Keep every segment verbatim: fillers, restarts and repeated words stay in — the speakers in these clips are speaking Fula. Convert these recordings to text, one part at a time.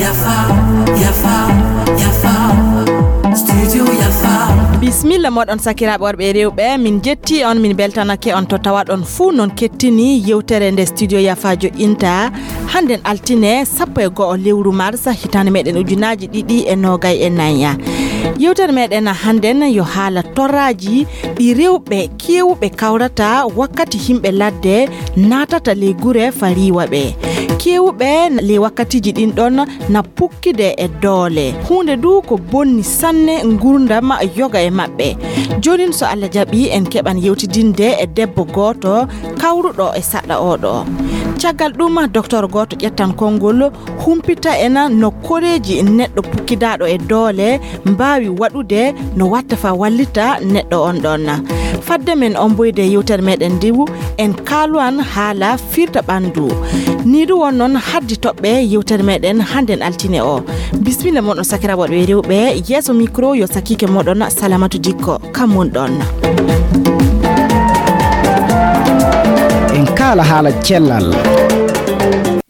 Yafa, yafa, yafa. Studio Yafa. Bismilla moɗon, sakiraaɓe worɓe e rewɓe, min jetti on, min beltanake on to tawaɗon fuu non kettini yewtere nde Studio Yafa joƴƴinta. Hannden altine sappo e go'o lewru mars hitaande meɗen ujunaaji ɗiɗi e noogay e nayi. Yewtere meɗen hannden yo haala torraaji ɗi rewɓe keewuɓe kawrata wakkati himɓe ladde naatata ley gure fa riiwa ɓe. Keewuɓe ley wakkatiiji ɗin ɗon na pukkide e doole. Huunde du ko bonni sanne ngurdam yoga e maɓɓe. Joonin so Allah jaɓi en keɓan yewtidinde e debbo gooto kawruɗo e saɗɗa oɗo. Caggal ɗum, doktor gooto ƴettan konngol, humpita en no koreeji neɗɗo pukkidaaɗo e doole mbaawi waɗude no watta fa wallita neɗɗo on ɗon. Fadde men omboyde yewtere meɗen ndiwu, en kaalwan haala firta ɓandu. Ni du won non haddi toɓɓe yewtere meɗen hannden altine o. Bismilla moɗon sakiraaɓe worɓe e rewɓe, yeeso micro yo sakiike moɗon Salamatu Dikko. Kam won ɗon. En kaala haala cellal.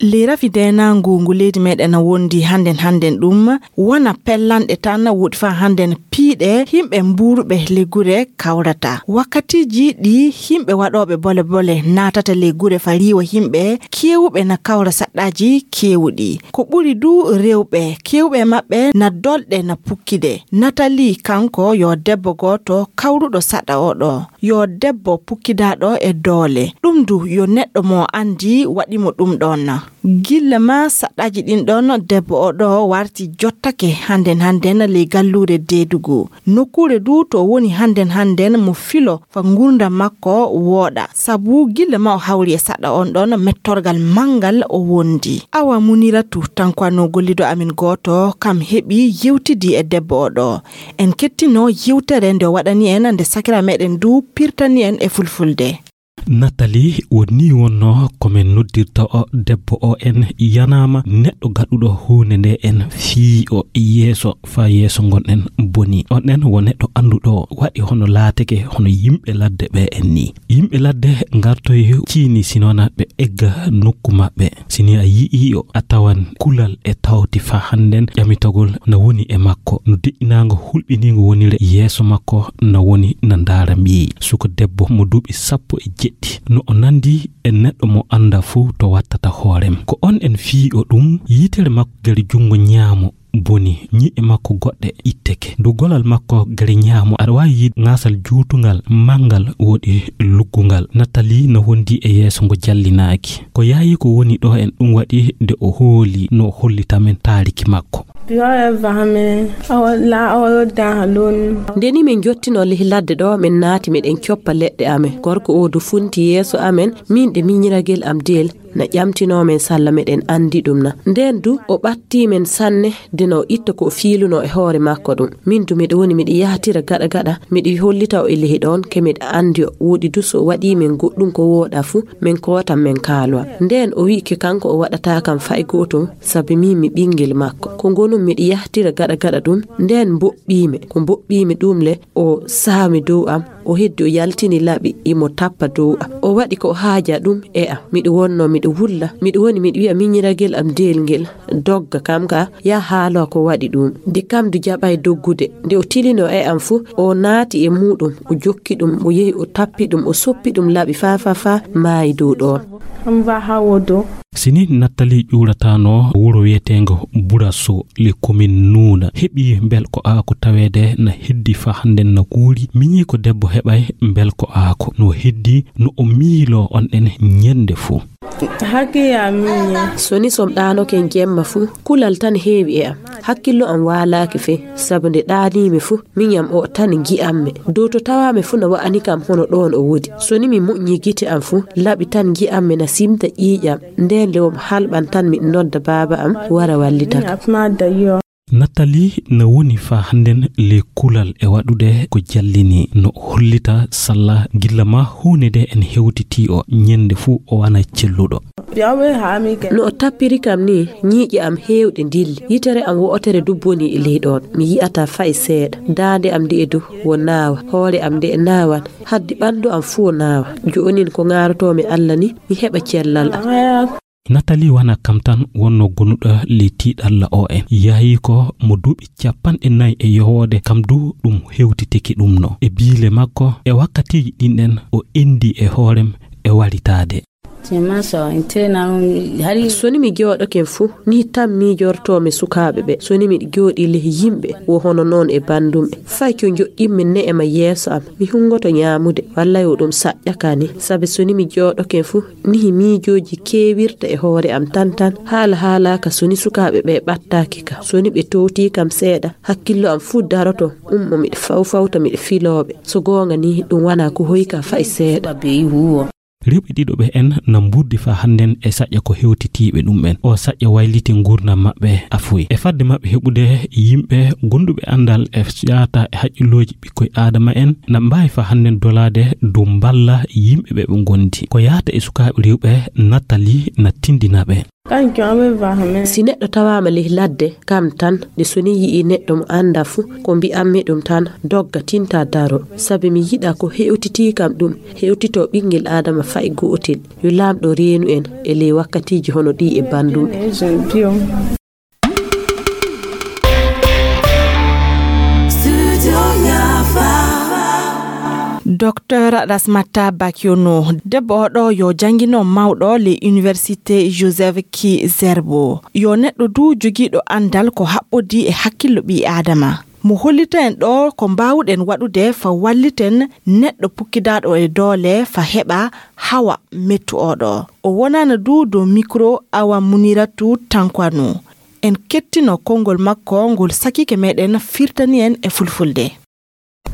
Ley rafi deenaangu ngu leydi meɗen wondi hannden hannden ɗum wona pellanɗe tan woɗi fa hannden piiɗe himɓe mbuuruɓe ley gure kawrata. Wakkatiiji ɗi himɓe waɗooɓe bole bole naatata ley gure fa riiwa himɓe keewuɓe na kawra saɗɗaaji keewuɗi. Ko ɓuri du rewɓe keewɓe maɓɓe na dolɗe na pukkide. Natali kanko yo debbo gooto kawruɗo saɗɗa oɗo. Yo debbo pukkidaaɗo e doole. Ɗum du yo neɗɗo mo anndi waɗi mo ɗum ɗon. Gilla ma saɗɗaaji ɗin ɗon debbo oɗo warti jottake hannden hannden ley galluure Deedugu. Nokkuure du to woni hannden hannden mo filo fa ngurdam makko wooɗa. Sabu gilla ma o hawri e saɗɗa on ɗon mettorgal manngal o wondi. Awa Muniratu Tankwa no gollido amin gooto kam heɓi yewtidi e debbo oɗo. En kettino yewtere nde o waɗani en nde sakira meɗen du pirtani en e fulfulde. Natali, o ni wonno ko men noddirta o debbo o en yanaama neɗɗo gaɗuɗo huunde nde en fii o yeeso fa yeeso ngonɗen boni. On en wo neɗɗo annduɗo waɗi hono laatake hono yimɓe ladde ɓe en ni. Yimɓe ladde ngartoy ciini sinona ɓe egga nokku maɓɓe. Si ni a yi'i o, a tawan kulal e tawti fa hannden ƴamitagol na woni e makko. No deƴƴinaango hulɓiniingo wonire yeeso makko na woni na ndaara mbiyi. Suka debbo mo duuɓi sappo e jeɗɗi. No o nandi e neɗɗo mo annda fuu to wattata hoorem. Ko on en fii o ɗum, yitere makko gere junngo ñaamo boni, ñi'e makko goɗɗe itteke. Dow golal makko gere ñaamo, aɗa waawi yiide ŋaasal juutungal, manngal, woodi luggungal. Natali no wondi e yeeso ngo jallinaaki. Ko yaayi ko woni ɗo en ɗum waɗi nde o hooli no o hollita men taariki makko. Nde ni min jottino ley ladde ɗo, min naati miɗen coppa leɗɗe amen. Gorko o du funti yeeso amen, min ɗe miñiragel am deel. Na ƴamtinoo men salla meɗen anndi ɗum na. Ndeen du o ɓattii men sanne, de no o itta ko o fiilunoo e hoore makko ɗum. Min du miɗo woni miɗo yahatira gaɗa gaɗa, miɗo hollita o e lehi ɗoon, ke miɗo anndi o. Woodi du so o waɗii men goɗɗum ko wooɗaa fu, min kootan min kaalowa. Ndeen o wi'i ke kanko o waɗataa kam fay gootum, sabi min mi ɓinngel makko. Ko ngonum miɗo yahatira gaɗa gaɗa ɗum, ndeen mboɓɓii mi. Ko mboɓɓii mi ɗum le, o saami dow am, o heddi o yaltini laɓi, imo tappa dow am. O waɗi ko o haaja ɗum e am. Miɗo wonno miɗo wulla, miɗo woni miɗo wi'a miñiragel am deelngel, dogga kam ka, ya haalo ko waɗi ɗum. Nde kam du jaɓay doggude, nde o tilino e am fu, o naati e muuɗum, o jokki ɗum, o yehi o tappi ɗum, o soppi ɗum laɓi fa fa fa maayi dow ɗoon. Sini Nattali ƴuurataano wuro wiyeteengo Buraso, le commune Nuuna, heɓi mbel ko aako taweede na heddi fa hannden na kuuri, miñi ko debbo heɓay mbel ko aako, no heddi no o miiloo on ɗen ñennde fuu. Haki ya miñi. So ni som ɗaanoke jemma fuu, kulal tan heewi e am. Hakkillo am waalaaki fey, sabu nde ɗaaniimi fuu, miñam o tan ngi'ammi. Dow to tawaami fuu na wa'ani kam hono ɗoon o wodi. So ni mi moƴƴi gite am fuu, laɓi tan ngi'ammi na simta ƴiiƴam. Ndeen le o halɓan tan miɗo nodda baaba am wara wallita kam. Nattali na woni fa hannden le kulal e waɗude ko jallini no hollita salla gilla ma huunde nde en hewtitii o ñennde fuu o wana celluɗo. No o tappiri kam ni, ñiiƴe am heewɗe ndilli. Yitere am wo'otere du boni e ley ɗoon. Mi yi'ataa fay seeɗa. Daande am nde'e du wo naawa. Hoore am nde'e naawan. Haddi ɓanndu am fuu naawa. Joonin ko ŋaarotoomi Alla ni, mi heɓa cellal am. Natali wona kam tan wonno gonuɗo ley tiiɗalla o en. Yahi ko mo duuɓi capanɗe nayi e yowoode, kam du ɗum hewtitiki ɗum no. E biile makko, e wakkatiiji ɗin ɗen, o endi e hoorem e waritaade. So ni mi jooɗoken fu, ni tan miijortoo mi sukaaɓe ɓe. So ni miɗo jooɗii ley yimɓe, wo hono noon e banndum en. Fay ko njoƴƴinmi ne'e ma yeeso am, mi hunngoto ñaamude, walla yo ɗum saƴƴa ka ni. Sabi so ni mi jooɗoken fu, nihi miijooji keewirta e hoore am tan tan. Haala haalaaka so ni sukaaɓe ɓe ɓattaaki ka. So ni ɓe toowtii kam seeɗa, hakkillo am fuu daroto, ummo miɗo fawfawta miɗo filoo ɓe. So goonga ni, ɗum wonaa ko hoyka fay seeɗa. Rewɓe ɗiɗo ɓe en na mburdi faa hannden e saƴƴa ko hewtitiiɓe ɗum en. O saƴƴa wayliti nguurndam maɓɓe afuy. E fadde maɓɓe heɓude yimɓe gonduɓe anndal e yaata e haqqillooji ɓikkoy Aadama en, na mbaawi faa hannden dolaade dow mballa yimɓe ɓe ɓe ngondi. Ko yaata e sukaaɓe rewɓe Natali na tinndina ɓe. Si neɗɗo tawaama ley ladde, kam tan, nde so ni yi'ii neɗɗo mo anndaa fu, ko mbi'anmi ɗum tan, dogga, tinta, daro. Sabi mi yiɗaa ko hewtitii kam ɗum, hewtitoo ɓinngel Aadama fay gootel. Yo Laamɗo reenu en e ley wakkatiiji hono ɗii e banndum en. Docteur Rasmata Bakiono, debbo oɗo yo janngino mawɗo le Université Joseph Ki Zerbo. Yo neɗɗo du jogiiɗo anndal ko haɓɓodii e hakkillo ɓii Aadama. Mo hollita en ɗo ko mbaawuɗen waɗude fa walliten neɗɗo pukkidaaɗo e doole fa heɓa hawa mettu oɗo. O wonana du dow mikro Awa Muniratu Tankwano. En kettino konngol makko ngol sakiike meɗen firtani en e fulfulde.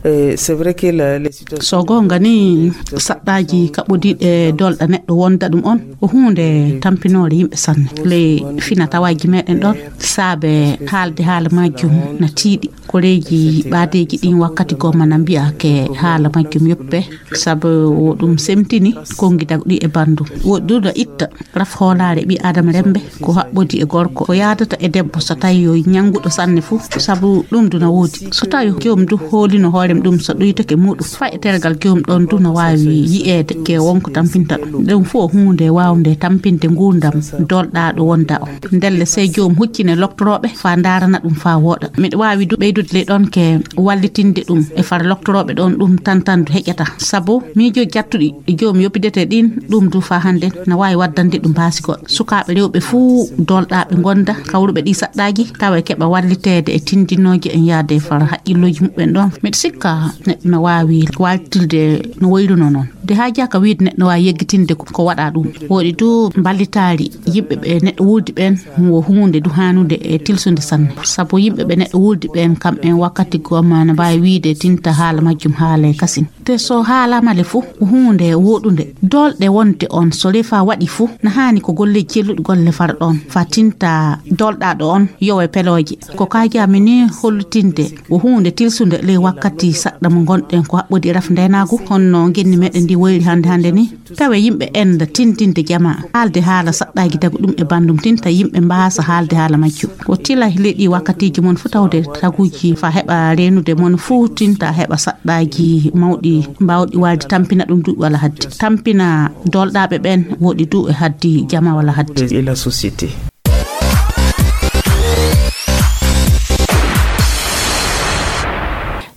Eh, c'est vrai que la, les situations So goonga ni, saɗɗaaji kaɓɓodiiɗe dolɗa neɗɗo wonda ɗum on, ko huunde tampinoore yimɓe sanne. Ley fina tawaaji meɗen ɗon, saabe haalde haala majjum na tiiɗi. Koreeji ɓaadeeji ɗin wakkati goo mana mbi'a ke haala majjum yoppe, sabu wo ɗum semtini konngi dagɗi e banndum. Woɗɗuɗo itta raf hoolaare ɓii Aadama remmbe ko haɓɓodi e gorko, ko yaadata e debbo so tawi yo ñannguɗo sanne fuu, sabu ɗum du na woodi. So tawi joom du hoolino hoorem ɗum so ɗuytake muuɗum, faa e tergal joom ɗon du na waawi yi'eede ke wonko tampinta ɗum. Ɗum fuu o huunde waawnde tampinde nguurndam dolɗaaɗo wonda o. Ndelle sey joom huccine loktorooɓe faa ndaarana ɗum faa wooɗa. Miɗo waawi du ɓeydude ley ɗon ke wallitinde ɗum e far loktorooɓe ɗon ɗum tan tan du heƴata. Sabu miijo jattuɗi e joom yoppidete ɗin, ɗum du faa hannde na waawi waddande ɗum baasi goɗɗo. Sukaaɓe rewɓe fuu dolɗaaɓe ngonda kawruɓe ɗi saɗɗaaji, tawa e keɓa walliteede e tindinooje en yaade far haqqillooji muɓɓen ɗon. Miɗo sikka neɗɗo na waawi waaltilde no woyruno noon. De haajaaka wiide neɗɗo waawi yeggitinde ko, ko waɗa ɗum. Woɗi du mballitaari yimɓe ɓe neɗɗo wuldi ɓeen wo huunde du haanude e tilsude sanne. Sabu yimɓe ɓe neɗɗo wuldi ɓeen kam en wakkati goo ma na mbaawi wiide tinta haala majjum haala e kasin. Te so haalaama le fuu, ko huunde wooɗunde. Dolɗe wonde on so refa waɗi fuu, na haani ko golleeji celluɗi golle fara ɗoon, faa tinta dolɗaaɗo on yowe pelooje. Ko kaajaami ni hollitinde ko huunde tilsunde ley wakkati saɗɗa mo ngonɗen ko haɓɓodi e raf ndeenaagu, honno ngenni meɗen ndi woyri hannde hannde ni. Tawe yimɓe enda tintinde jamaa, haalde haala saɗɗaaji dagu ɗum e banndum tinta yimɓe mbaasa haalde haala majjum. Ko tila leyɗi wakkatiiji mon fuu tawde taguuji faa heɓa reenude mon fuu tinta heɓa saɗɗaaji mawɗi mbaawɗi waalde tampina ɗum duuɓi walla haddi. Tampina dolɗaaɓe ɓeen woɗi du e haddi jamaa walla haddi. Et la société.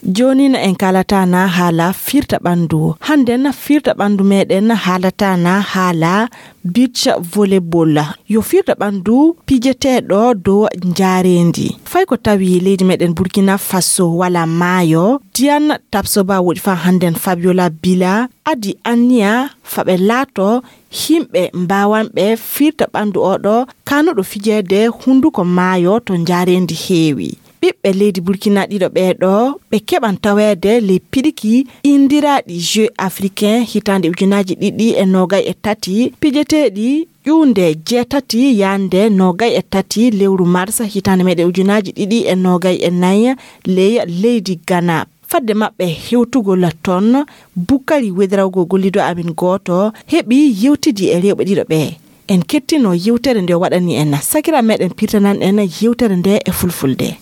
Jooni na en kaalata na haala firta ɓanndu. Hannde na firta ɓanndu meɗen haalata na haala beach volleyball. Yo firta ɓanndu pijeteeɗo dow njaareendi. Fay ko tawi leydi meɗen Burkina Faso wala maayo, Diane Tapsoba woɗi faa hannden Fabiola Bila adi anniya faa ɓe laato himɓe mbaawanɓe firta ɓanndu oɗo kanuɗo fijeede hunnduko maayo to njaareendi heewi. Ɓiɓɓe leydi Burkina ɗiɗo ɓeeɗo ɓe keɓan taweede ley piɗiki inndiraaɗi Jeux africains hitaande ujunaaji ɗiɗi e noogay e tati, pijeteeɗi ƴuwnde jeetati yaande noogay e tati lewru mars hitaande meɗen ujunaaji ɗiɗi e noogay e nayi ley leydi Ghana. Fadde maɓɓe hewtugol ton, Bukari Wedrawgo gollido amin gooto heɓi yewtidi e rewɓe ɗiɗo ɓe. En kettino yewtere nde o waɗani en. Sakira meɗen pirtanan en yewtere nde e fulfulde.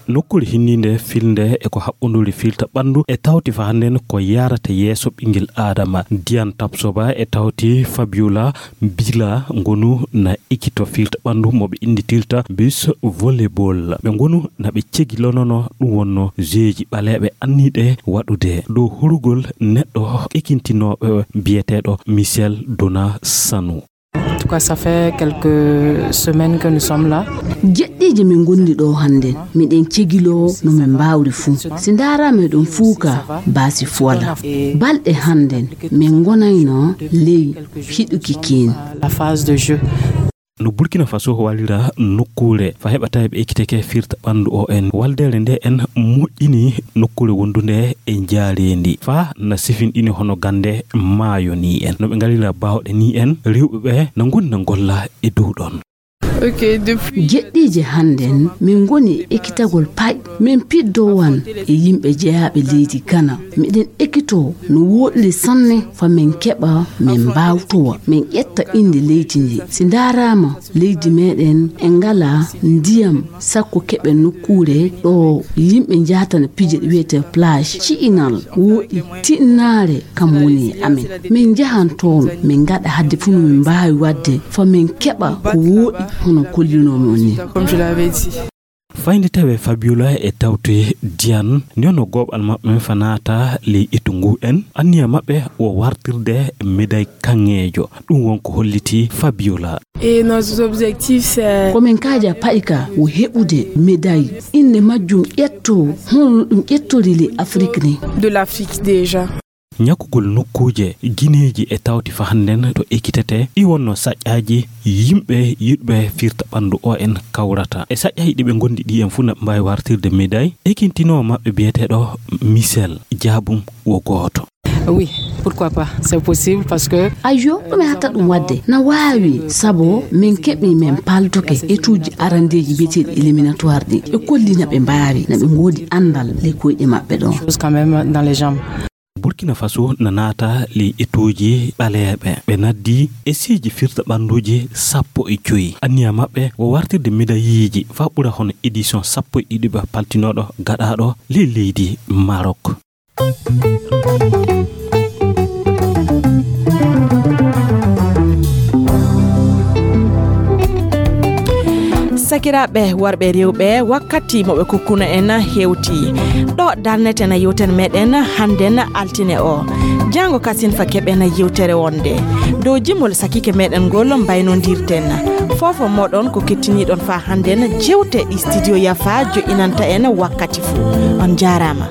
Nokkuure hinniinde filnde e ko haɓɓonduri firta ɓanndu e tawti fa hannden ko yarata yeeso ɓinngel Aadama. Diyan Tapsoba e tawti Fabiola Bila ngonu na ekito firta ɓanndu mo ɓe innditirta bus volleyball. Ɓe ngonu na ɓe cegilonono ɗum wonno jeeji ɓaleeɓe anniiɗe waɗude dow horugol neɗɗo ekintinooɓe biyeteeɗo Michel Dona Sanu. En tout cas, ça fait quelques semaines que nous sommes là. Jeɗɗiije min ngondi ɗo hannden. Miɗen cegiloo no min mbaawri fuu. Si ndaaraama e ɗum fuuka baasi fuwala. Balɗe hannden min ngonayno ley hiɗuki kiin. La phase de jeu. No Burkina Faso wallira nokkuure fa heɓa tawi ɓe ekkiteke firta ɓanndu o en. Waldeere nde en moƴƴini nokkuure wondunde e njaareendi fa na sifinɗini hono gannde maayo ni en. No ɓe ngalira baawɗe ni en, rewɓe ɓe na ngoni na ngolla e dow ɗon. Ok, depuis jeɗɗiije hannden, min ngoni e ekkitagol pay. Min piddowan e yimɓe jeyaaɓe leydi Gana. Miɗen ekkitoo no wooɗiri sanne fa min keɓa, min mbaawtowa, min ƴetta innde leydi ndi. Si ndaaraama, leydi meɗen e ngala ndiyam, sakko keɓen nokkuure ɗo yimɓe njahata na pija ɗi wiyetee plage. Ci'inal wooɗi, tinnaare kam woni e amen. Min njahan toon, min ngaɗa hadde fuu no min mbaawi waɗde, fa min keɓa ko wooɗi hono kollinoomi on ni. Comme je l'avais dit. Fayde tawe Fabiola e tawti Diane, ni ono gooɓal maɓɓe fa naata ley etu ngu en. Anniya maɓɓe wo wartirde médaille kaŋŋeejo. Ɗum won ko holliti Fabiola. Et nos objectifs, c'est ko min kaaja pa'i ka wo heɓude médaille. Innde majjum ƴetto, hono ɗum ƴettori ley Afrik ni. De l'Afrique déjà. Ñakkugol nokkuuje gineeji e tawti fa hannden to ekkitetee, ɗi wonno saƴƴaaji yimɓe yiɗɓe firta ɓanndu o en kawrata. E saƴƴaaji ɗi ɓe ngondi ɗi en fuu na ɓe mbaawi wartirde médaille, ekintinoowo maɓɓe biyeteeɗo Michel Diabum wo gooto. Oui, pourquoi pas? C'est possible parce que ayyo, ɗum e hatta ɗum waɗde. Na waawi, sabo min keɓi min paltoke etuuji arandeeji biyeteeɗi éliminatoire ɗi. Ɓe kolli na ɓe mbaawi, na ɓe ngoodi anndal ley koyɗe maɓɓe ɗon. Chose quand même dans les jambes. Burkina Faso na naata ley etuuji ɓaleeɓe. Ɓe naddi esiiji firta ɓannduuji sappo e joy. Anniya maɓɓe wo wartirde médailles fa ɓura hono édition sappo e ɗiɗi ba paltinooɗo gaɗaaɗo ley leydi Maroc. Sakiraaɓe worɓe e rewɓe, wakkati mo ɓe kokkuno en hewti. Ɗo darneten yewtere meɗen hannden altine o. Janngo kasin fa keɓen yewtere wonde. Dow jimol sakiike meɗen ngol mbaynondirten. Foofo moɗon ko kettiniɗon fa hannden jewte ɗi studio Yafa jo'inanta en wakkati fuu. On jaaraama.